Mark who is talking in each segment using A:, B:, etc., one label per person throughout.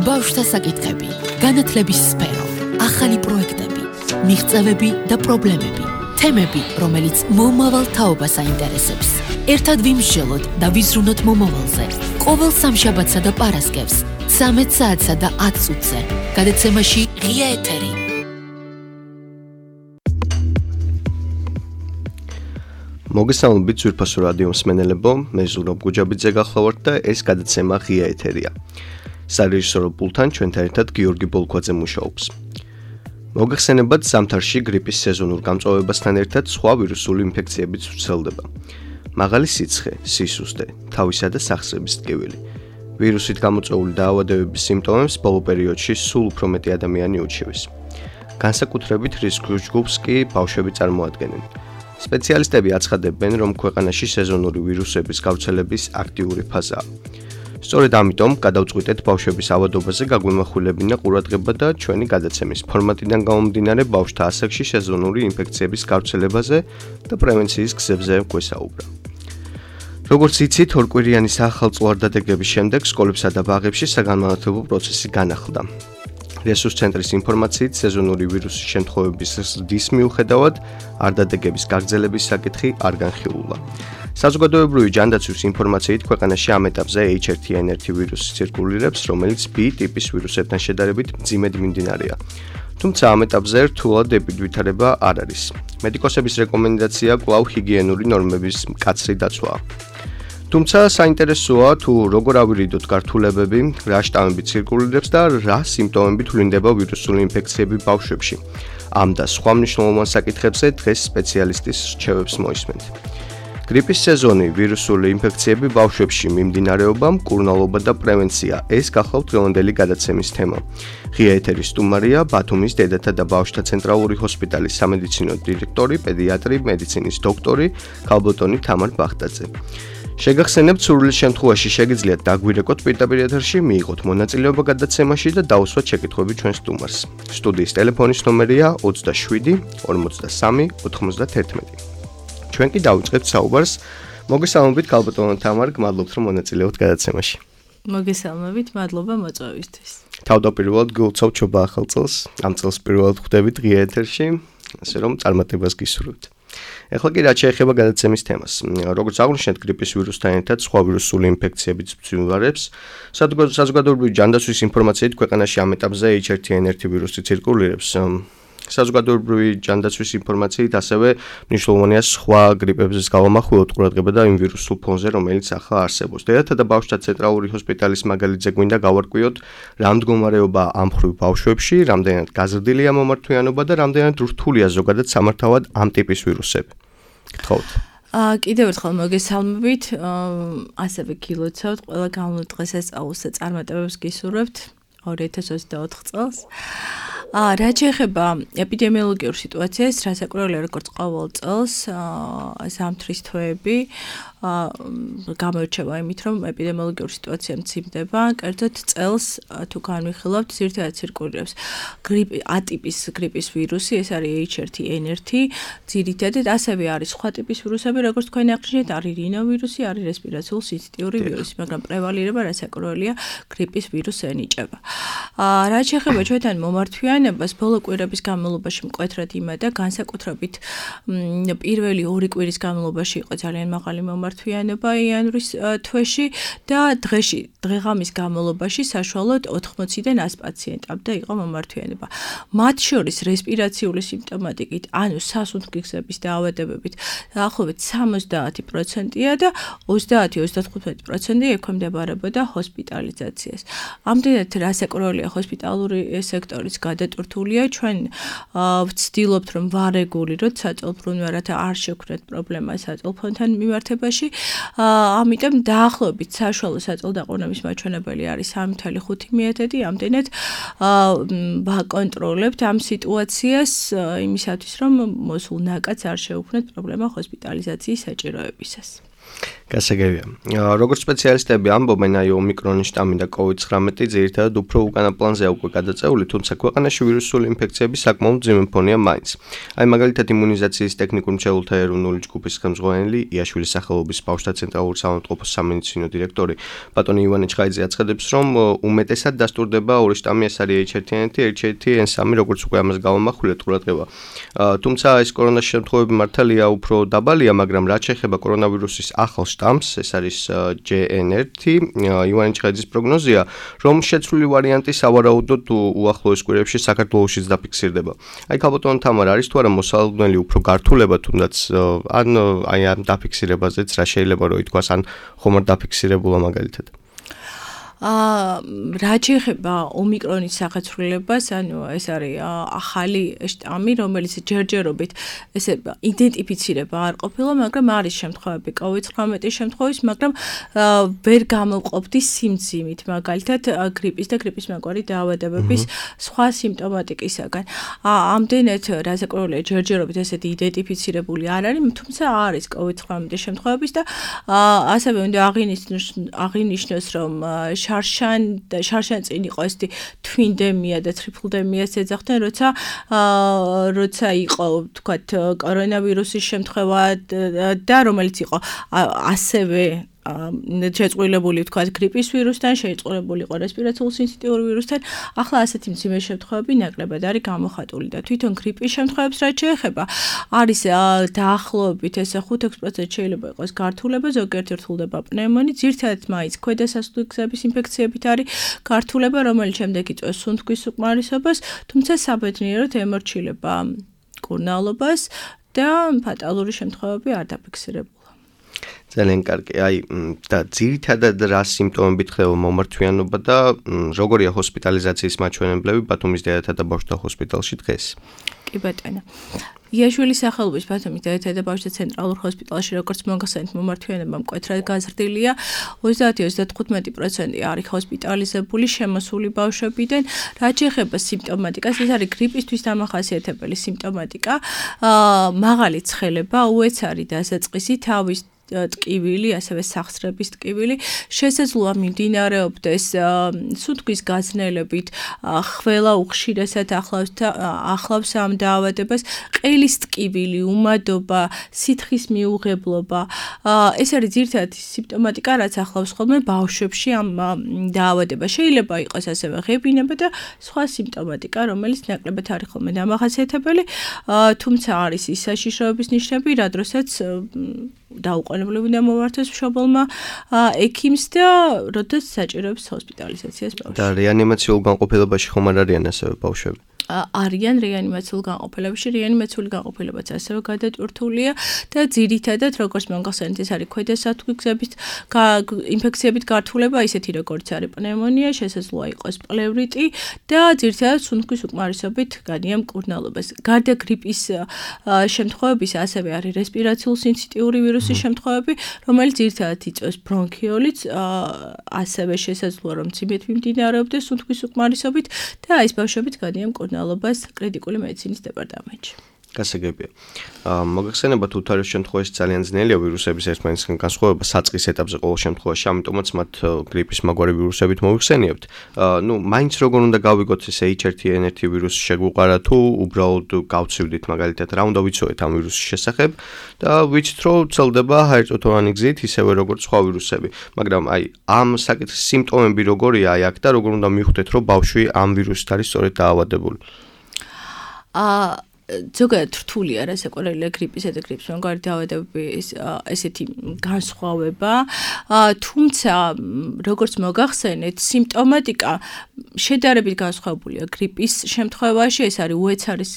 A: ბავშვთა საკითხები, განათლების სფერო, ახალი პროექტები, მიღწევები და პრობლემები, თემები, რომელიც მომავალ თაობას აინტერესებს. ერთად ვიმსჯელოთ და ვიზრუნოთ მომავალზე. ყოველ სამშაბათსა და პარასკევს, 13 საათსა და 10 წუთზე. გადაცემაში ღია ეთერი.
B: მოგესალმებით ძვირფასო რადიო მსმენელებო, მე ზურაბ გუჯაბიძე გახლავართ და ეს გადაცემა ღია ეთერია. სარეჟისორო პულტთან ჩვენთან ერთად გიორგი ბოლქვაძე მუშაობს. მოგეხსენებათ, ზამთარში გრიპის სეზონურ გამწვავებასთან ერთად სხვა ვირუსული ინფექციებიც ვრცელდება. მაღალი სიცხე, სისუსტე, თავისა და სახსრების ტკივილი. ვირუსით გამოწვეული დაავადებების სიმპტომებს ბოლო პერიოდში სულ უფრო მეტი ადამიანი უჩივის. განსაკუთრებით რისკის ჯგუფს კი ბავშვები წარმოადგენენ. სპეციალისტები აცხადებენ, რომ ქვეყანაში სეზონური ვირუსების გავრცელების აქტიური ფაზაა. სწორედ ამიტომ გადავწყვიტეთ ბავშვების ავადობაზე გაგვიმახვილებინა ყურადღება და ჩვენი გადაცემის ფორმატიდან გამომდინარე ბავშვთა ასაკში სეზონური ინფექციების გავრცელებაზე და პრევენციის გზებზე გვესაუბრა. როგორც იცით, ორკვირიანი საახალწლოვარდადეგების შემდეგ სკოლებსა და ბაღებში საგანმანათლებლო პროცესი განახლდა. რესურს ცენტრის ინფორმაციით, სეზონური ვირუსის შემთხვევების ზრდის მიუხედავად, არდადეგების გაგრძელების საკითხი არ განხილულა. საზოგადოებრივი ჯანდაცვის ინფორმაციით, ქვეყანაში ამ ეტაპზე H1N1 ვირუსი ცირკულირებს, რომელიც B ტიპის ვირუსებთან შედარებით მძიმედ მიმდინარეა. თუმცა ამ ეტაპზე რთულად ეპიდვითარება არ არის. მედიკოსების რეკომენდაცია კვლავ ჰიგიენური ნორმების მკაცრი დაცვაა. თუმცა საინტერესოა თუ როგორ ავირიდოთ გართულებები, რა შტამები ცირკულირებს და რა სიმპტომები თვლინდება ვირუსული ინფექციები ბავშვებში. ამ და სხვა მნიშვნელოვან საკითხებზე დღეს სპეციალისტის რჩევებს მოისმენთ. გრიპის სეზონი, ვირუსული ინფექციები ბავშვებში, მიმდინარეობა, მკურნალობა და პრევენცია. ეს გახლავთ დღევანდელი გადაცემის თემა. ღია ეთერის სტუმარია ბათუმის დედათა და ბავშვთა ცენტრალური ჰოსპიტალის სამედიცინო დირექტორი, პედიატრი, მედიცინის დოქტორი ქალბატონი თამარ ბახტაძე. შეგახსენებთ, სურვილის შემთხვევაში შეგიძლიათ დაგვირეკოთ პირდაპირ ეთერში, მიიღოთ მონაწილეობა გადაცემაში და დაუსვათ შეკითხვები ჩვენ სტუმარს. სტუდიის ტელეფონის ნომერია 27 43 91. ჩვენ კი დავიწყებთ საუბარს. მოგესალმებით ქალბატონო თამარ, გმადლობთ რომ მონაწილეობთ გადაცემაში.
C: მოგესალმებით, მადლობა მოწვევისთვის.
B: თავდაპირველად გულწევთ ჩობა ახალ წელს. ამ წელს პირველად ხვდებით ღია ეთერში, ასე რომ წარმატებას გისურვებთ. ეხლა კი რაც შეეხება გადაცემის თემას. როგორც აღვნიშნეთ, გრიპის ვირუსთან ერთად სხვა ვირუსული ინფექციებიც ბრძვიარებს. საზოგადოებრივი ჯანდაცვის ინფორმაციით, ქვეყანაში ამ ეტაპზე H1N1 ვირუსი ცირკულირებს. საზოგადოებრივი ჯანდაცვის ინფორმაციით ასევე მნიშვნელოვანია სხვა გრიპების გამომახვილოთ ყურადღება და იმ ვირუსულ ფონზე, რომელიც ახლა არსებობს. დედათა და ბავშვთა ცენტრალური ჰოსპიტალის მაგალითზე გვინდა გავარკვიოთ, რა მდგომარეობა ამ მხრივ ბავშვებში, რამდენად გაზრდილია მომართვიანობა და რამდენად რთულია ზოგადად სამართავად ამ ტიპის ვირუსები. გთხოვთ.
C: კიდევ ერთხელ მოგესალმებით, ასევე გილოცავთ ყველა განვლილ დღესასწაულს და წარმატებებს გისურვებთ 2024 წელს. რაც შეეხება ეპიდემიოლოგიურ სიტუაციას, რასაკვირველია, როგორც ყოველ წელს, ზამთრის თვეები გამოირჩევა იმით, რომ ეპიდემიოლოგიური სიტუაცია მცირდება, კერძოდ წელს თუ განვიხილავთ, ძირითადად ცირკულირებს ატიპის გრიპის ვირუსი, ეს არის H1N1, ძირითადად ასევე არის სხვა ტიპის ვირუსები, როგორც თქვენ აღნიშნეთ, არის რინოვირუსი, არის რესპირაციული სინციტიური ვირუსი, მაგრამ პრევალირება რასაკვირველია გრიპის ვირუსს ენიჭება. რაც შეეხება ჩვენთან მომართვიანებას, ბოლო კვირების განმავლობაში მკვეთრად იმედა, განსაკუთრებით პირველი 2 კვირის განმავლობაში იყო ძალიან მაღალი მომართვიანობა იანვრის თვეში და დღეღამის განმავლობაში საშუალოდ 80-დან 100 პაციენტამდე იყო მომართვიანება. მათ შორის რესპირაციული სიმპტომატიკით, ანუ სასუნთქგზების დაავადებებით დაახლოებით 70%-ია და 30-35% ექვემდებარებოდა ჰოსპიტალიზაციას. ამდენად რასაკვირველია ჰოსპიტალური სექტორის გადატვირთულია. ჩვენ ვცდილობთ, რომ ვარეგულიროთ საწოლფრუნვე, რათა არ შექმნათ პრობლემა საწოლფონთან მიმართებაში. ამიტომ დაახლოებით საშუალო საწოლდაყრდნობის მაჩვენებელი არის 3.5 მიეთედი. ამდენად ვაკონტროლებთ ამ სიტუაციას იმისათვის, რომ მოსულ ნაკადს არ შეუქმნათ პრობლემა ჰოსპიტალიზაციის საჭიროებისას.
B: გასაგებია. Როგორც სპეციალისტები ამბობენ, აი ომიკრონის შტამი და COVID-19 ძირითადად უფრო უკანა პლანზეა უკვე გადაწეული, თუმცა ქვეყანაში ვირუსული ინფექციების საკმაოდ მძიმე ფონია მაინც. აი მაგალითად იმუნიზაციის ტექნიკურ მრჩეველთა ეროვნული ჯგუფის ხელმძღვანელი იაშვილის სახელობის ბავშვთა ცენტრალური საავადმყოფოს სამედიცინო დირექტორი ბატონი ივანე ჩხაიძე აცხადებს, რომ უმეტესად დასტურდება ორი შტამი, ეს არის H1N1, H1N3, როგორც უკვე ამას გავამახვილეთ ყურადღება. თუმცა ეს კორონას შემთხვევები მართალია უფრო დაბალია, მაგრამ რაც შეეხება კორონავირუსის ახალ შტამს, ეს არის JN1, ივანე ჩხაიძის პროგნოზია, რომ შეცვლილი ვარიანტი სავარაუდოდ უახლოეს კვირებში საქართველოშიც დაფიქსირდება. აი ქალბატონო თამარ, არის თუ არა მოსალოდნელი უფრო გართულება თუნდაც ან აი ამ დაფიქსირებაზეც რა შეიძლება რომ ითქვას, ან ხომ არ დაფიქსირებულა მაგალითად?
C: რაც შეეხება ომიკრონის სახეცვლილებას, ანუ ეს არის ახალი შტამი, რომელიც ჯერჯერობით ესე იდენტიფიცირება არ ყოფილა, მაგრამ არის შემთხვევები COVID-19 შემთხვევის, მაგრამ ვერ გამოვყოფდი სიმძიმით, მაგალითად გრიპის და გრიპის მაგვარი დაავადებების სხვა სიმპტომატიკისაგან. ამდენად რაზეკვირველია ჯერჯერობით ესეთი იდენტიფიცირებული არ არის, თუმცა არის COVID-19 შემთხვევების და ასევე უნდა აღინიშნოს, რომ შარშან წინ იყო ესეთი twindemia და tripledemia's ეძახდნენ, როცა იყო თქვათ კორონავირუსის შემთხვევა და რომელიც იყო ასევე შეწყვილებული თქვათ გრიპის ვირუსთან, შეწყვილებული იყო რესპირატორულ სინციტიური ვირუსთან, ახლა ასეთი მძიმე შემთხვევები ნაკლებად არის გამოხატული და თვითონ გრიპის შემთხვევებს რაც შეეხება, არის დაახლოებით ესე 5-6% შეიძლება იყოს გართულება, ზოგიერთი რთულდება პნევმონი, ძირითადად მაინც ქვედა სასუდგების ინფექციებით არის გართულება, რომელიც შემდეგ იწვევს სუნთქვის უკმარისობას, თუმცა საბედნიეროდ ემორჩილება კურნალობას და ფატალური შემთხვევები არ დაფიქსირებულა.
B: ძალიან კარგი. აი და ძირითადად რა სიმპტომებით ხდება მომართვიანობა და როგორია ჰოსპიტალიზაციის მაჩვენებლები ბათუმის დედათა და ბავშვთა ჰოსპიტალში დღეს?
C: კი ბატონო. იაშვილის სახელობის ბათუმის დედათა და ბავშვთა ცენტრალურ ჰოსპიტალში როგორც მოგახსენეთ მომართვიანება მკვეთრად გაზრდილია. 30-35% არის ჰოსპიტალიზებული შემოსული ბავშვებიდან. რაც შეეხება სიმპტომატიკას, ეს არის გრიპისთვის დამახასიათებელი სიმპტომატიკა. მაღალი ცხელება, უეცარი დასაწყისი, თავის ტკივილი, ასევე სახსრების ტკივილი, შესაძლოა მიმდინარეობდეს სუნთქვის გაზნელებით, ხველა უხშირესად ახლავს ამ დაავადებას, ყელის ტკივილი, უმადობა, სითხის მიუღებლობა. ეს არის ძირითადად სიმპტომატიკა, რაც ახლავს ხოლმე ბავშვებში ამ დაავადებას. შეიძლება იყოს ასევე ღებინება და სხვა სიმპტომატიკა, რომელიც ნაკლებად არის ხოლმე დამახასიათებელი, თუმცა არის ის საშიშროების ნიშნები, რა დროსაც დაუყოვნებლივ უნდა მოვართოს მშობელმა ექიმს და როდესაც საჭიროებს ჰოსპიტალიზაციას ბავშვი.
B: და რეანიმაციულ განყოფილებაში ხომ არ არიან ასევე ბავშვები?
C: არიან რეანიმაციულ განყოფილებაში, რეანიმაციული განყოფილებაც ასევე გადატვირთულია და ძირითადად როგორც მოგახსენეთ, ეს არის ქვედა სასუდგების ინფექციებით გართულება, ისეთი როგორც არის პნევმონია, შესაძლოა იყოს პლევრიტი და ძირითადად სუნთქვის უკმარისობით განიამ კურნალობას. გარდა გრიპის შემთხვევების ასევე არის რესპირატორულ სინციტიური ვირუსის შემთხვევები, რომელიც ძირითადად იწვევს ბრონქიოლიტს, ასევე შესაძლოა რომ მძიმედ მიმდინარეობდეს სუნთქვის უკმარისობით და ეს ბავშვებიც განიამ კურნალობას კრიტიკული მედიცინის დეპარტამენტში.
B: გასაგებია. მოგახსენებათ უთარეს შემთხვევაში ძალიან ძნელია ვირუსების ერთმანეთისგან განსხვავება საწყის ეტაპზე ყოველ შემთხვევაში, ამიტომაც მათ გრიპის მაგვარი ვირუსებით მოვიხსენიებთ. მაინც როგორ უნდა გავიგოთ ეს H1N1 ვირუსი შეგვუყარა თუ უბრალოდ გავცივდით მაგალითად რა უნდა ვიცოდეთ ამ ვირუსის შესახებ და ვიცით რომ ვრცელდება ჰაერწოთოვანი გზით ისევე როგორც სხვა ვირუსები. მაგრამ აი ამ საკითხის სიმპტომები როგორია აი აქ და როგორ უნდა მივხვდეთ რომ ბავშვი ამ ვირუსით არის სწორედ დაავადებული?
C: ზოგადად რთულია რასაკვირველია გრიპისა და გრიპის მაგვარი დაავადებების ესეთი განსხვავება, თუმცა როგორც მოგახსენეთ, სიმპტომატიკა შედარებით განსხვავებულია გრიპის შემთხვევაში, ეს არის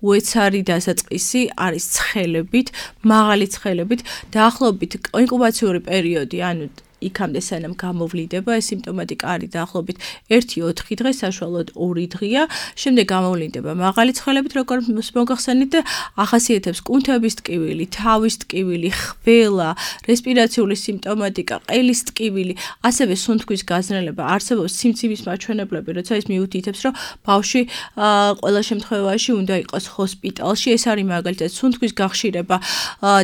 C: უეცარი დასაწყისი, არის ცხელებით, მაღალი ცხელებით, დაახლოებით ინკუბაციური პერიოდი, ანუ იქამდე სანამ გამოვლინდება ეს სიმპტომატიკა არის დაახლოებით 1-4 დღე, საშუალოდ 2 დღეა, შემდეგ გამოვლინდება მაღალი ცხელებით, როგორც მოგახსენეთ და ახასიათებს კუნთების ტკივილი, თავის ტკივილი, ხველა, რესპირაციული სიმპტომატიკა, ყელის ტკივილი, ასევე სუნთქვის გაზრდელება, არსებობს სიმცივის მაჩვენებლები, როცა ის მიუთითებს, რომ ბავშვი ყველა შემთხვევაში უნდა იყოს ჰოსპიტალში, ეს არის მაგალითად სუნთქვის გახშირება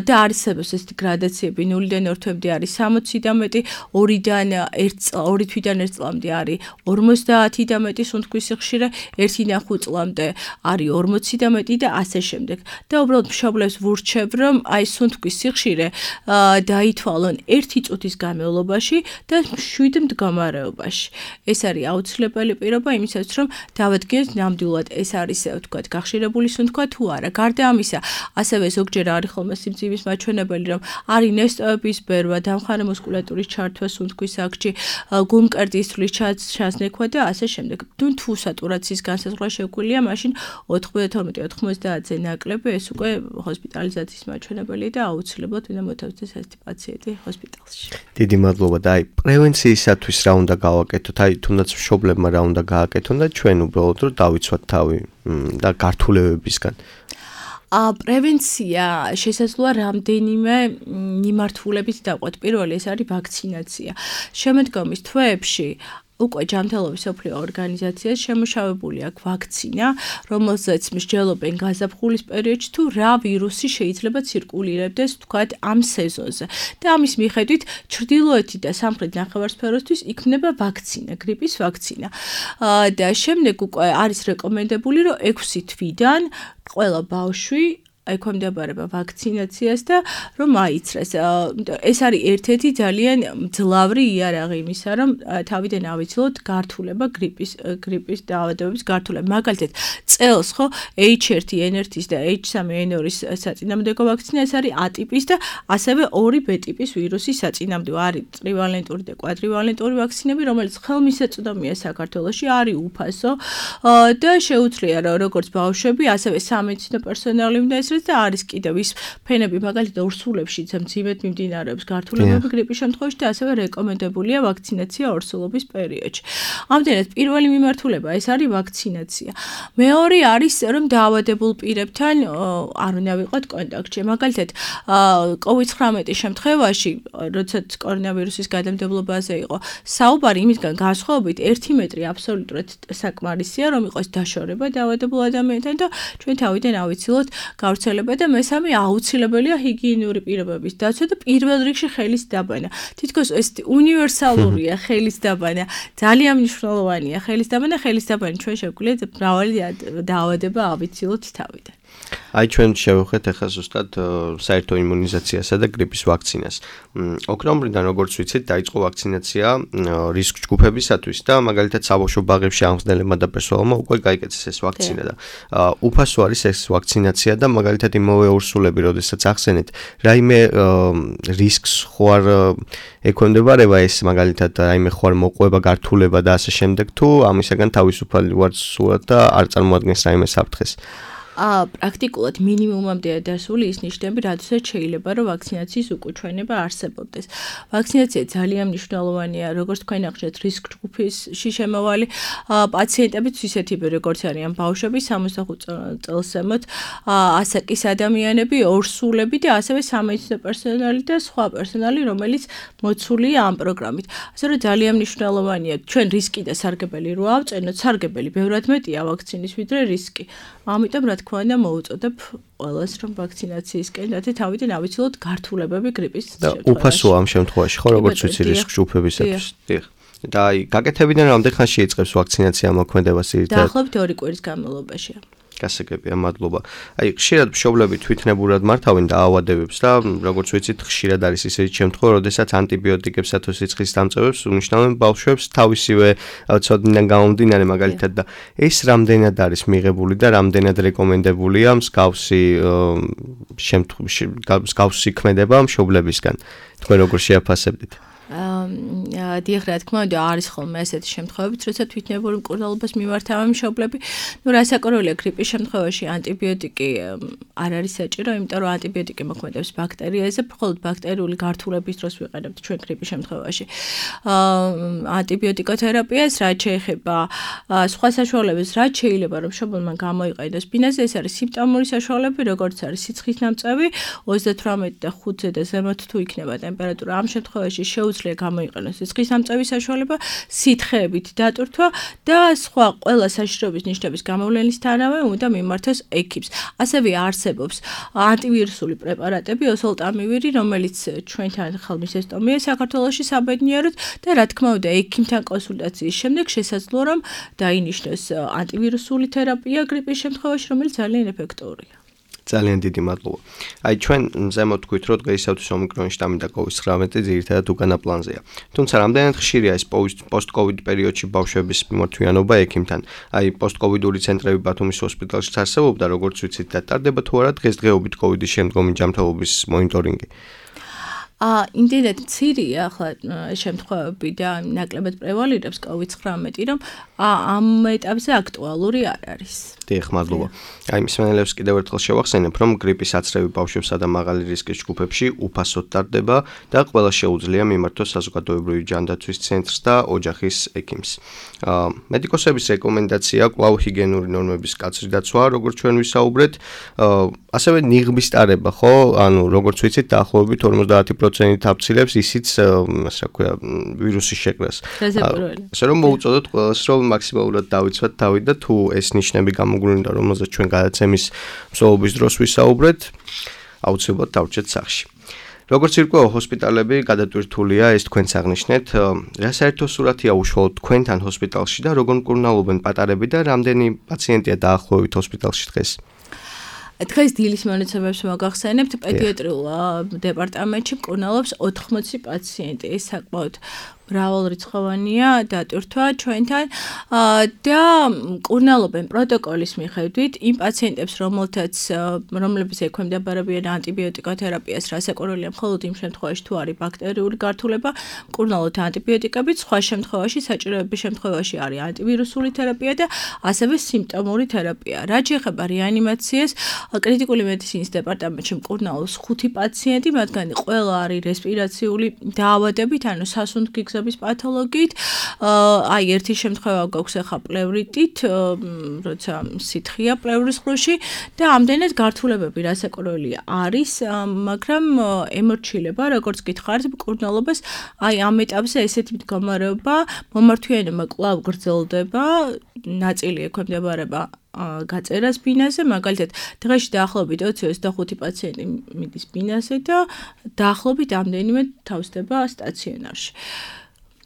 C: და არსებობს ეს გრადაციები 0-დან 2 თვემდე არის 60 და მეტი, 2 თვიდან 1 წლამდე არის 50 და მეტი სუნთქვის სიხშირე, 1-5 წლამდე არის 40 და მეტი და ასე შემდეგ. და უბრალოდ მშობლებს ვურჩევ, რომ აი სუნთქვის სიხშირე დაითვალონ 1 წუთის განმავლობაში და 7 მდგომარეობაში. ეს არის აუცილებელი პირობა იმისათვის, რომ დავადგინოთ ნამდვილად ეს არის ვთქვათ გახშირებული სუნთქვა თუ არა. გარდა ამისა, ასევე ზოგჯერ არის ხოლმე სიმცივის მაჩვენებელი, რომ არის ნესტოების ბერვა, დამხარე მუსკულატურის ჩართვა სუნთქვის აქტში, გულმკერდის თვლის ჩასნექვა და ასე შემდეგ. თუ სატურაციის განსაზღვრა შეგვიძლია, მაშინ 92-90-ზე ნაკლები ეს უკვე ჰოსპიტალიზაციის მაჩვენებელია და აუცილებლად უნდა მოთავსდეს ეს პაციენტი ჰოსპიტალში.
B: დიდი მადლობა და აი პრევენციისათვის რა უნდა გავაკეთოთ? აი თუნდაც მშობლებმა რა უნდა გააკეთონ და ჩვენ უბრალოდ რომ დავიცვათ თავი და გართულებებისგან.
C: პრევენცია შესაძლოა რამდენიმე მიმართულებით დავყვეთ. პირველი ეს არის ვაქცინაცია. შემდგომის თვეებში უკვე ჯანმრთელობის მსოფლიო ორგანიზაციას შემუშავებული აქვს ვაქცინა, რომელზეც მსჯელობენ გაზაფხულის პერიოდში თუ რა ვირუსი შეიძლება ცირკულირებდეს თქვათ ამ სეზონზე. და ამის მიხედვით ჩრდილოეთი და სამხრეთ ნახევარსფეროსთვის იქნება ვაქცინა, გრიპის ვაქცინა. და შემდეგ უკვე არის რეკომენდებული, რომ 6 თვიდან ყველა ბავშვი ექვემდებარება ვაქცინაციას და რომ აიცრეს. ეს არის ერთ-ერთი ძალიან მძლავრი იარაღი იმისა, რომ თავიდან ავიცილოთ გართულება გრიპის დაავადებების გართულება. მაგალითად, წელს ხო H1N1-ის და H3N2-ის საწინააღმდეგო ვაქცინა ეს არის A ტიპის და ასევე 2 B ტიპის ვირუსის საწინააღმდეგო. არის ტრივალენტური და კვადრივალენტური ვაქცინები, რომელიც ხელმისაწვდომია საქართველოში, არის უფასო და შეუძლია რომ როგორც ბავშვები, ასევე სამედიცინო პერსონალი უნდა ესწროს და არის კიდევ ის ფენები მაგალითად ორსულებში მძიმედ მიმდინარეობს გართულებები გრიპის შემთხვევაში და ასევე რეკომენდებულია ვაქცინაცია ორსულობის პერიოდში. ამდენად პირველი მიმართულება ეს არის ვაქცინაცია. მეორე არის რომ დაავადებულ პირებთან არ უნდა ვიყოთ კონტაქტში. მაგალითად COVID-19 შემთხვევაში, როდესაც კორონავირუსის გადამდებობაზე იყო საუბარი, იმისგან განსხვავებით 1 მეტრი აბსოლუტურად საკმარისია, რომ იყოს დაშორება დაავადებულ ადამიანთან და ჩვენ თავიდან ავიცილოთ გავრცელება და მესამე აუცილებელია ჰიგიენური პირობების დაცვა და პირველ რიგში ხელის დაბანა. თითქოს ეს უნივერსალურია ხელის დაბანა. ძალიან მნიშვნელოვანია ხელის დაბანა ჩვენ შეგვიძლია მრავალი დაავადება ავიცილოთ თავიდან.
B: აი ჩვენ შევხვდეთ ახლა ზუსტად საერთო იმუნიზაციასა და გრიპის ვაქცინას. ოქტომბრიდან როგორც ვიცით, დაიწყო ვაქცინაცია რისკ ჯგუფებისათვის და მაგალითად საბავშვო ბაღებში ამხსნელებმა და პერსონალმა უკვე გაიკეთეს ეს ვაქცინა და უფასო არის ეს ვაქცინაცია და მაგალითად იმავე ორსულები, როდესაც ახსენეთ, რაიმე რისკს ხوار ექვემდებარება ეს მაგალითად რაიმე ხوار მოყვება, გართულება და ასე შემდეგ თუ ამისაგან თავისუფალი ვარ სულად და არ წარმოადგენს რაიმე საფრთხეს.
C: პრაქტიკულად მინიმუმამდეა დასული ის ნიშნები, რადგან შეიძლება რომ ვაქცინაციის უკუჩვენება არსებობდეს. ვაქცინაცია ძალიან მნიშვნელოვანია, როგორც თქვენ ახსენეთ, რისკ ჯგუფში შემავალი პაციენტებიც ისეთი როგორც არიან ბავშვები 65 წელს ზემოთ, ასაკის ადამიანები, ორსულები და ასევე სამედიცინო პერსონალი და სხვა პერსონალი, რომელიც მოცულია ამ პროგრამით. ასე რომ ძალიან მნიშვნელოვანია ჩვენ რისკი და სარგებელი რო ავწენოთ, სარგებელი ბევრად მეტია ვაქცინის ვიდრე რისკი. ამიტომ რა თქმა უნდა მოუწოდებ ყველას რომ ვაქცინაციისკენ და თავიდან ავიცილოთ გართულებები გრიპის
B: შემთხვევაში. და უფასოა ამ შემთხვევაში, ხო, როგორც ვიცი რისკ ჯგუფებისათვის. დიახ. და აი, გაკეთებიდან რამდენ ხანში იწყებს ვაქცინაცია მოქმედებას ერთად?
C: დაახლოებით 2 კვირის განმავლობაშია.
B: გასაგებია, მადლობა. აი, ხშირად მშობლები თვითნებურად მართავენ დაავადებებს და როგორც ვიცით, ხშირად არის ისეთი შემთხვევა, როდესაც ანტიბიოტიკებსა თუ სიცხის დამწევებს უნიშნავენ ბავშვებს თავისივე ცოდნიდან გამომდინარე მაგალითად და ეს რამდენად არის მიღებული და რამდენად რეკომენდებულია მსგავსი ქმედება მშობლებისგან. თქვენ როგორ შეაფასებდით?
C: დიახ, რა თქმა უნდა, არის ხოლმე ესეთი შემთხვევებიც, როცა თვითნებური მკურნალობას მიმართავენ მშობლები. რასაკვირველია, გრიპის შემთხვევაში ანტიბიოტიკი არ არის საჭირო, იმიტომ რომ ანტიბიოტიკი მოქმედებს ბაქტერიაზე, მხოლოდ ბაქტერიული გართულების დროს ვიყენებთ ჩვენ გრიპის შემთხვევაში. ანტიბიოტიკოთერაპიას, რაც შეეხება სხვა საშუალებებს, რაც შეიძლება რომ მშობელმა გამოიყენოს ბინაზე, ეს არის სიმპტომური საშუალები, როგორც არის სიცხის ნამწევი, 38 და 5-ზე და ზემოთ თუ იქნება ტემპერატურა, ამ შემთხვევაში შეუძლია გამოიყენოს სიცხის ნამწევის საშუალება, სითხეებით დატვირთვა და სხვა ყველა საშიშროების ნიშნების გამოვლენისთანავე უნდა მიმართოს ექიპს. ასევე არსებობს ანტივირუსული პრეპარატები, ოსოლტამივირი, რომელიც ჩვენთან ხელმისაწვდომია საქართველოში საბედნიეროდ და რა თქმა უნდა, ექიმთან კონსულტაციის შემდეგ შესაძლოა რომ დაინიშნოს ანტივირუსული თერაპია გრიპის შემთხვევაში, რომელიც ძალიან ეფექტურია.
B: ძალიან დიდი მადლობა. აი ჩვენ ზემოთ თქვით, რომ დღეისათვის ომიკრონის შტამი და COVID-19 ძირითადად უკანა პლანზეა. თუმცა რამდენად ხშირია ეს პოსტ-COVID პერიოდში ბავშვების მიმართვიანობა ექიმთან? აი პოსტ-COVID-ური ცენტრები ბათუმის ჰოსპიტალშიც არსებობდა, როგორც ვიცით, და ტარდება თუ არა დღესდღეობით COVID-ის შემდგომი ჯანმრთელობის მონიტორინგი?
C: იმდენად მცირეა ახლა შემთხვევები და ნაკლებად პრევალირებს COVID-19, რომ ამ ეტაპზე აქტუალური არ არის.
B: დიახ, მადლობა. აი მსმენელებს კიდევ ერთხელ შევახსენებ, რომ გრიპის აცრევი ბავშვებსა და მაღალი რისკის ჯგუფებში უფასოდ ტარდება და ყველა შეუძლია მიმართოს საზოგადოებრივი ჯანდაცვის ცენტრს და ოჯახის ექიმს. მედიკოსების რეკომენდაცია კვლავ ჰიგიენური ნორმების კაცრი დაცვა, როგორც ჩვენ ვისაუბრეთ, ასევე ნიღბის ტარება, ხო? ანუ როგორც ვიცით, დაახლოებით 50% აფცილებს ისიც, ასე ვქვია, ვირუსის შეკრას. ასე რომ მოუწოდოთ ყველას, რომ მაქსიმალურად დავიცვათ თავი და თუ ეს ნიშნები გამოგვინდა, რომელზეც ჩვენ გადაცემის მსვლელობის დროს ვისაუბრეთ, აუცილებლად დავრჩეთ სახლში. როგორც ირკვევა ჰოსპიტალები გადატვირთულია, ეს თქვენც აღნიშნეთ, რა საერთო სურათია უშუალოდ თქვენთან ჰოსპიტალში და როგორ მკურნალობენ პატარები და რამდენი პაციენტია დაახლოებით ჰოსპიტალში დღეს?
C: დღეს დილის მონაცემებს მოგახსენებთ, პედიატრიულ დეპარტამენტში მკურნალობს 80 პაციენტი. ეს საკმაოდ მრავალრიცხოვანია დატვირთვა ჩვენთან და მკურნალობენ პროტოკოლის მიხედვით იმ პაციენტებს, რომლებიც ექვემდებარებიან ანტიბიოტიკოთერაპიას, რასაკვირველია მხოლოდ იმ შემთხვევაში, თუ არის ბაქტერიული გართულება, მკურნალობთ ანტიბიოტიკებით, სხვა შემთხვევაში, საჭიროების შემთხვევაში არის ანტივირუსული თერაპია და ასევე სიმპტომური თერაპია. რაც შეეხება რეანიმაციას, კრიტიკული მედიცინის დეპარტამენტში მკურნალობს 5 პაციენტი, მათგანი ყველა არის რესპირაციული დაავადებით, ანუ სასუნთქი პათოლოგიით. აი ერთი შემთხვევა გვაქვს ახლა პლევრიტით, როცა სითხეა პლევრის ყრუში და ამდენად გართულებები რასაკვირველია არის, მაგრამ ემორჩილება, როგორც გითხარით, მკურნალობას, აი ამ ეტაპზე ესეთი მდგომარეობა, მომართვიანობა კვლავ გრძელდება, ნაწილი ექვემდებარება გაწერას ბინაზე, მაგალითად, დღეში დაახლოებით 25 პაციენტი მიდის ბინაზე და დაახლოებით ამდენიმე თავსდება სტაციონარში.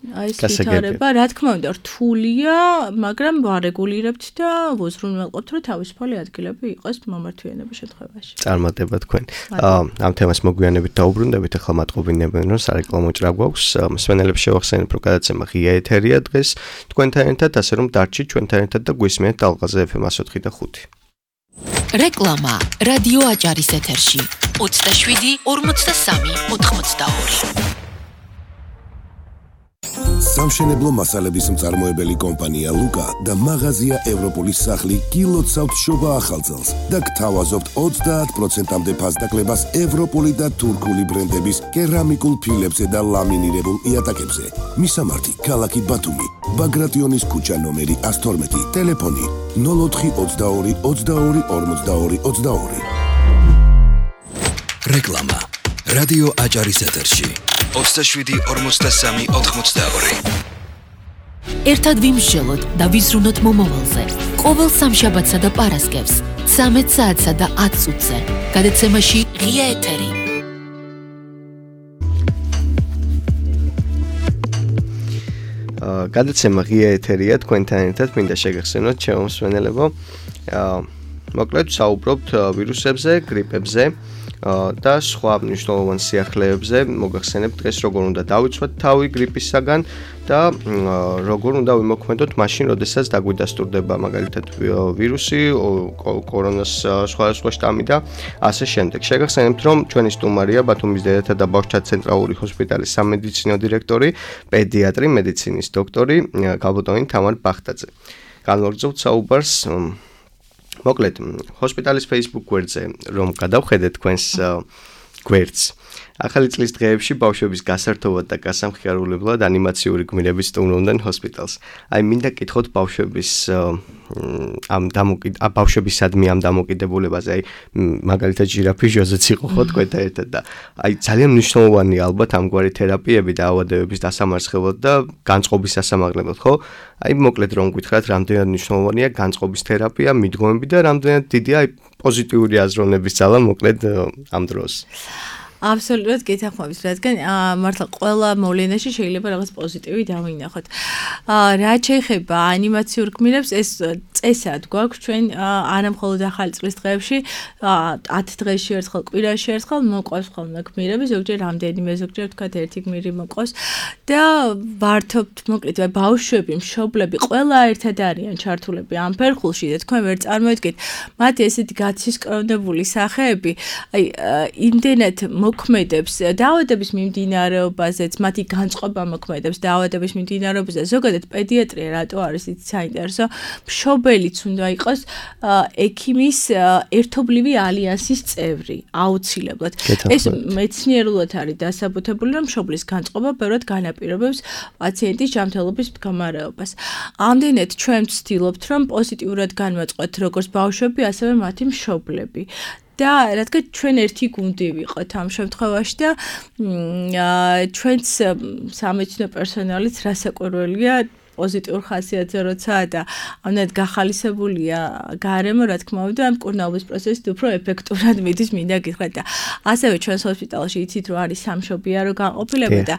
C: აი ეს ვითარება, რა თქმა უნდა, რთულია, მაგრამ ვარეგულირებთ და ვუზრუნველყოფთ, რომ თავისუფალი ადგილები იყოს მომართვიანების შემთხვევაში.
B: წარმატება თქვენ. ამ თემას მოგვიანებით დაუბრუნდებით, ახლა მატყობინებენ, რომ სარეკლამო ჭრა გვაქვს. მსმენელებს შევახსენებ, რომ გადაცემა ღია ეთერია დღეს თქვენთან ერთად, ასე რომ დარჩით ჩვენთან ერთად და გვისმენთ ალღაზე FM 104.5.
A: რეკლამა რადიო აჭარის ეთერში 27 43 82.
D: სამშენებლო მასალების მწარმოებელი კომპანია ლუკა და მაღაზია ევროპოლის სახლი გილოცავთ შობა ახალწელს და გთავაზობთ 30%-მდე ფასდაკლებას ევროპული და თურქული ბრენდების კერამიკულ ფილებზე და ლამინირებულ იატაკებზე. მისამართი: ქალაქი ბათუმი, ბაგრატიონის ქუჩა ნომერი 112, ტელეფონი 0422 22 42 22.
E: რეკლამა რადიო აჭარის ეთერში 27 43 82.
A: ერთად ვიმსჯელოთ და ვიზრუნოთ მომავალზე. ყოველ სამშაბათსა და პარასკევს 13 საათსა და 10 წუთზე. გადაცემაში ღია ეთერი.
B: გადაცემა ღია ეთერია თქვენთან ერთად, მინდა შეგახსენოთ ჩემო მსმენელებო. მოკლედ საუბრობთ ვირუსებზე, გრიპებზე. და სხვა მნიშვნელოვან სიახლეებზე მოგახსენებთ დღეს როგორ უნდა დავიცვათ თავი გრიპისაგან და როგორ უნდა ვიმოქმედოთ მაშინ, როდესაც დაგვიდასტურდება მაგალითად ვირუსი, კორონას სხვადასხვა შტამი და ასე შემდეგ. შეგახსენებთ, რომ ჩვენი სტუმარია ბათუმის დედათა და ბავშვთა ცენტრალური ჰოსპიტალის სამედიცინო დირექტორი, პედიატრი, მედიცინის დოქტორი გალბატონი თამარ ბახტაძე. განვაგრძობთ საუბარს მოკლედ ჰოსპიტალის Facebook გვერდზე, რომ გადავხედეთ თქვენს გვერდს. ახალი წლის დღეებში ბავშვების გასართობად და გასამხიარულებლად ანიმაციური გმირები სტუმრობდნენ ჰოსპიტალს. აი მინდა კითხოთ ბავშვების ბავშვებისადმი ამ დამოკიდებულებაზე, აი მაგალითად ჟირაფი ჟოზეც იყო ხო თქვენთან ერთად და აი ძალიან მნიშვნელოვანი ალბათ ამგვარი თერაპიები და ავადებების დასამარცხებლად და განწყობის სასამაღლებლად, ხო? აი მოკლედ რომ გითხრათ, რამდენად მნიშვნელოვანია განწყობის თერაპია, მიდგომები და რამდენად დიდია აი პოზიტიური აზროვნების ძალა მოკლედ ამ დროს.
C: Absolutely გეთახმებით, რადგან მართლა ყველა მოვლენაში შეიძლება რაღაც პოზიტივი დავინახოთ. რაც შეეხება ანიმაციურ გმირებს, ეს წესად გვაქვს ჩვენ არა მხოლოდ ახალი წლის დღეებში, 10 დღეში ერთხელ, კვირაში ერთხელ მოყვავს ხოლმე გმირები, ზოგჯერ რამდენიმე, ზოგჯერ თქვათ ერთი გმირი მოყვავს და ვართობთ მოკლედ ბავშვები, მშობლები, ყველა ერთად არიან ჩართულები ამ ფერხულში და თქვენ ვერ წარმოედგეთ მათი ესეთი გაცისკრონებული სახეები, აი იმდენად მოქმედებს დაავადების მიმდინარეობაზეც, მათი განწყობა მოქმედებს დაავადების მიმდინარეობაზე. ზოგადად პედიატრია რატო არის ისე საინტერესო? მშობელიც უნდა იყოს ექიმის ერთობლივი ალიანსის წევრი, აუცილებლად. ეს მეცნიერულად არის დასაბუთებული, რომ მშობლის განწყობა ბევრად განაპირობებს პაციენტის ჯანმრთელობის მდგომარეობას. ამდენად ჩვენ ვცდილობთ, რომ პოზიტიურად განვაწყოთ როგორც ბავშვები, ასევე მათი მშობლები. და რადგან ჩვენ ერთი გუნდი ვიყოთ ამ შემთხვევაში და ჩვენც სამედიცინო პერსონალიც რასაკვირველია პოზიტიურ ხასიათზე როცა და ამნად გახალისებულია გარემო, რა თქმა უნდა, ამ მკურნალობის პროცესით უფრო ეფექტურად მიდის, მინდა გითხრათ და ასევე ჩვენს ჰოსპიტალში იცით რომ არის სამშობიარო განყოფილება და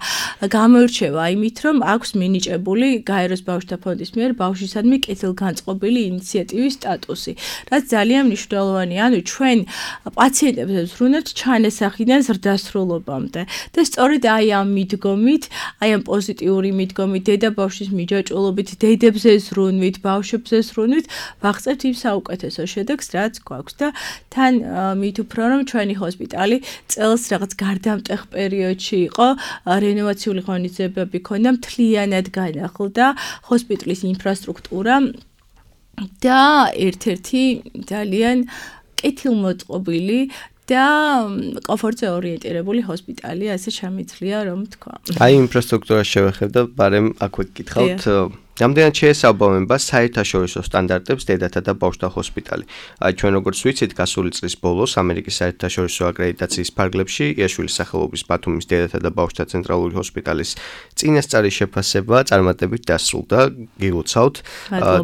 C: გამოირჩევა იმით, რომ აქვს მინიჭებული გაეროს ბავშვთა ფონდის მიერ ბავშვისადმი კეთილგანწყობილი ინიციატივის სტატუსი, რაც ძალიან მნიშვნელოვანია. ანუ ჩვენ პაციენტებს ვზრუნავთ ჩანასახიდან ზრდასრულობამდე და სწორედ აი ამ მიდგომით, აი ამ პოზიტიური მიდგომით დედა-ბავშვის ჭულობით დედებზე ზრუნვით, ბავშვებზე ზრუნვით, ვაღწევთ იმ საუკეთესო შედეგს, რაც გვაქვს და თან მით უფრო რომ ჩვენი ჰოსპიტალი წელს რაღაც გარდამტეხ პერიოდში იყო, რენოვაციული ღონისძიებები ქონდა, მთლიანად განახლდა ჰოსპიტალის ინფრასტრუქტურა და ერთ-ერთი ძალიან კეთილმოწყობილი და კომფორტზე ორიენტირებული ჰოსპიტალია, ასე შემიძლია რომ თქვა.
B: აი ინფრასტრუქტურას შევეხებ და ბარემ აქვე გითხავთ რამდენად შეესაბამება საერთაშორისო სტანდარტებს დედათა და ბავშვთა ჰოსპიტალი. აი ჩვენ როგორც ვიცით, გასული წლის ბოლოს ამერიკის საერთაშორისო აკრედიტაციის ფარგლებში იაშვილის სახელობის ბათუმის დედათა და ბავშვთა ცენტრალური ჰოსპიტალის წინასწარი შეფასება წარმატებით დასრულდა. გილოცავთ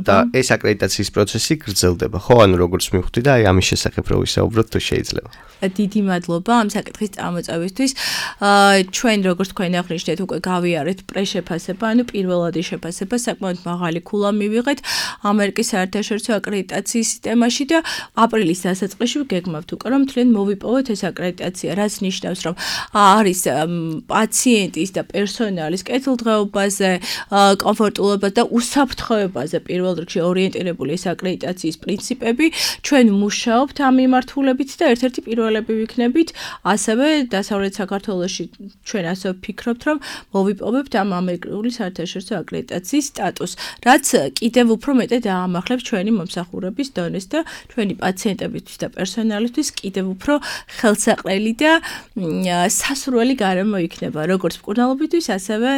B: და ეს აკრედიტაციის პროცესი გრძელდება. ხო, ანუ როგორც მივხვდი და აი ამის შესახებ რო ვისაუბროთ, თუ შეიძლება.
C: დიდი მადლობა ამ საკითხის წამოწევისთვის. ჩვენ როგორც თქვენ აღნიშნეთ, უკვე გავიარეთ პრეშეფასება, ანუ პირველადი შეფასება საკმაოდ მაღალი ქულა მივიღეთ ამერიკის საერთაშორისო აკრედიტაციის სისტემაში და აპრილის დასაწყისში გეგმავთ უკვე რომ თლიან მოვიპოვოთ ეს აკრედიტაცია, რაც ნიშნავს რომ არის პაციენტის და პერსონალის კეთილდღეობაზე, კომფორტულობაზე და უსაფრთხოებაზე პირველ რიგში ორიენტირებული ეს აკრედიტაციის პრინციპები. ჩვენ მუშაობთ ამ მიმართულებით და ერთ-ერთი პირველები ვიქნებით, ასევე დასავლეთ საქართველოში ჩვენ ასე ვფიქრობთ რომ მოვიპოვებთ ამ ამერიკული საერთაშორისო აკრედიტაციის სტატუსს, რაც კიდევ უფრო მეტად აამახლებს ჩვენი მომსახურების დონეს და ჩვენი პაციენტებისთვის და პერსონალისთვის კიდევ უფრო ხელსაყრელი და სასურველი გარემო იქნება, როგორც მკურნალობისთვის, ასევე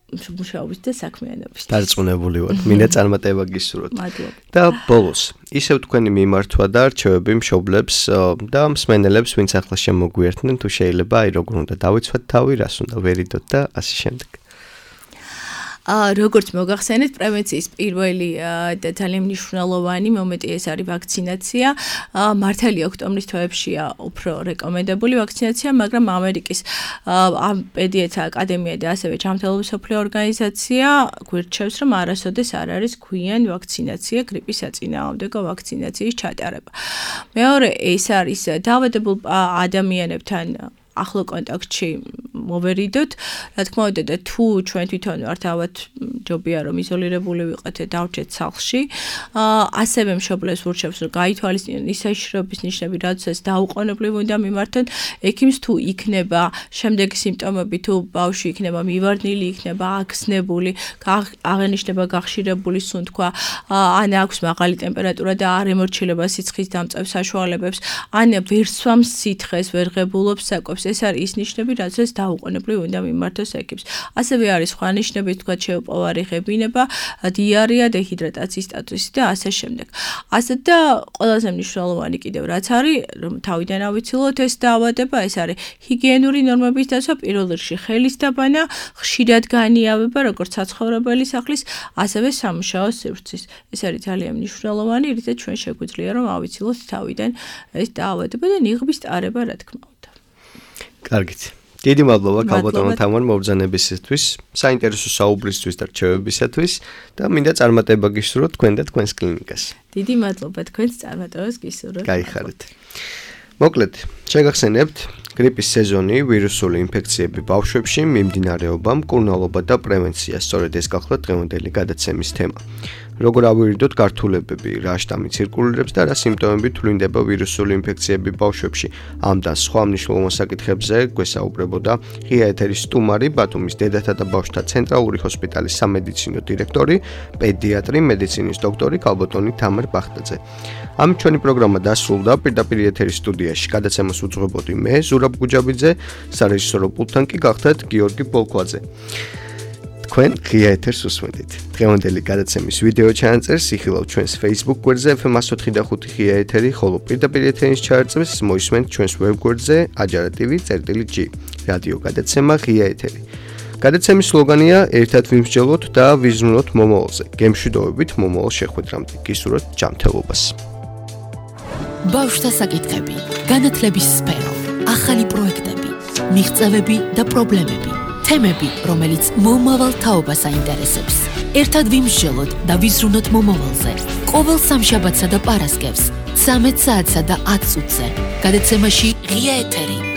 C: მუშაობის და საქმიანობის.
B: დარწმუნებული ვარ, მინდა წარმატება გისურვოთ.
C: მადლობა.
B: და ბოლოს, ისევ თქვენი მიმართვა და რჩევები მშობლებს და მსმენელებს, ვინც ახლა შემოგვიერთნენ, თუ შეიძლება, აი როგორ უნდა დავიცვათ თავი, რას უნდა ვერიდოთ და ასე შემდეგ.
C: როგორც მოგახსენეთ, პრევენციის პირველი და ძალიან მნიშვნელოვანი მომენტი ეს არის ვაქცინაცია. მართალია ოქტომბრის თვეებშია უფრო რეკომენდებული ვაქცინაცია, მაგრამ ამერიკის პედიატრთა აკადემია და ასევე ჯანმრთელობის მსოფლიო ორგანიზაცია გვირჩევს, რომ არასოდეს არ არის გვიან ვაქცინაცია გრიპის საწინააღმდეგო ვაქცინაციის ჩატარება. მეორე ეს არის დაავადებულ ადამიანებთან ახლო კონტაქტში მოვერიდოთ. რა თქმა უნდა და თუ ჩვენ თვითონ ვართ ალბათ ჯობია რომ იზოლირებული ვიყოთ და დავრჩეთ სახლში. ასევე მშობლებს ვურჩევს რომ გაითვალისწინონ ის საშიშროების ნიშნები, რადგან დაუყოვნებლივ უნდა მიმართონ ექიმს თუ იქნება შემდეგი სიმპტომები, თუ ბავშვი იქნება მივარდნილი, იქნება აქსნებული, აღენიშნება გახშირებული სუნთქვა, ან აქვს მაღალი ტემპერატურა და არ ემორჩილება სიცხის დამწევ საშუალებებს, ან ვერ სვამს სითხეს, ვერ ღებულობს საკვებს. ეს არის ის ნიშნები, რადგან დაუყოვნებლივ უნდა მიმართოს ექიმს. ასევე არის სხვა ნიშნები, თქვა შეუპოვარი ღებინება, დიარეა, დეჰიდრატაციის სტატუსი და ასე შემდეგ. ასე და ყველაზე მნიშვნელოვანი კიდევ რაც არის, რომ თავიდან ავიცილოთ ეს დაავადება, ეს არის ჰიგიენური ნორმების დაცვა, პირველ რიგში ხელის დაბანა, ხშირად განიავება, როგორც საცხოვრებელი სახლის, ასევე სამუშაო სივრცის. ეს არის ძალიან მნიშვნელოვანი, რითაც ჩვენ შეგვიძლია რომ ავიცილოთ თავიდან ეს დაავადება და ნიღბის ტარება, რა თქმა უნდა.
B: კარგით. დიდი მადლობა ქალბატონო თამარ მობრძანებისათვის, საინტერესო საუბრისთვის და რჩევებისათვის და მინდა წარმატება გისურვოთ თქვენ და თქვენს კლინიკას.
C: დიდი მადლობა თქვენს წარმატებას გისურვებთ.
B: გაიხარეთ. მოკლედ, შეგახსენებთ, გრიპის სეზონი, ვირუსული ინფექციები ბავშვებში, მიმდინარეობა, მკურნალობა და პრევენცია, სწორედ ეს გახლავთ დღევანდელი გადაცემის თემა. როგორ ავირიდოთ გართულებები, რა შტამი ცირკულირებს და რა სიმპტომები თვლინდება ვირუსული ინფექციები ბავშვებში. ამ და სხვა მნიშვნელოვან საკითხებზე გვესაუბრებოდა ღია ეთერის სტუმარი, ბათუმის დედათა და ბავშვთა ცენტრალური ჰოსპიტალის სამედიცინო დირექტორი, პედიატრი, მედიცინის დოქტორი ქალბატონი თამარ ბახტაძე. ამით ჩვენი პროგრამა დასრულდა. პირდაპირ ეთერის სტუდიაში გადაცემას უძღვებოდი მე, ზურაბ გუჯაბიძე, სარეჟისორო პულტთან კი გახდათ გიორგი ბოლქვაძე. თქვენ ღია ეთერს უსმენთ. დღევანდელი გადაცემის ვიდეო ჩანაწერს იხილავთ ჩვენს Facebook გვერდზე FM104.5 ღია ეთერი, ხოლო პირდაპირ ეთერის ჩანაწერს მოისმენთ ჩვენს ვებ გვერდზე ajara.tv/g. რადიო გადაცემა ღია ეთერი. გადაცემის სლოგანია ერთად ვიმსჯელოთ და ვიზრუნოთ მომავალზე. გემშვიდობებით მომავალ შეხვედრამდე. გისურვებთ ჯანმრთელობას.
A: ბავშვთა საკითხები, განათლების სფერო, ახალი პროექტები, მიღწევები და პრობლემები. თემები, რომელიც მომავალ თაობას აინტერესებს. ერთად ვიმსჯელოთ და ვიზრუნოთ მომავალზე. ყოველ სამშაბათსა და პარასკევს 13 საათსა და 10 წუთზე. გადაცემაში ღია ეთერი.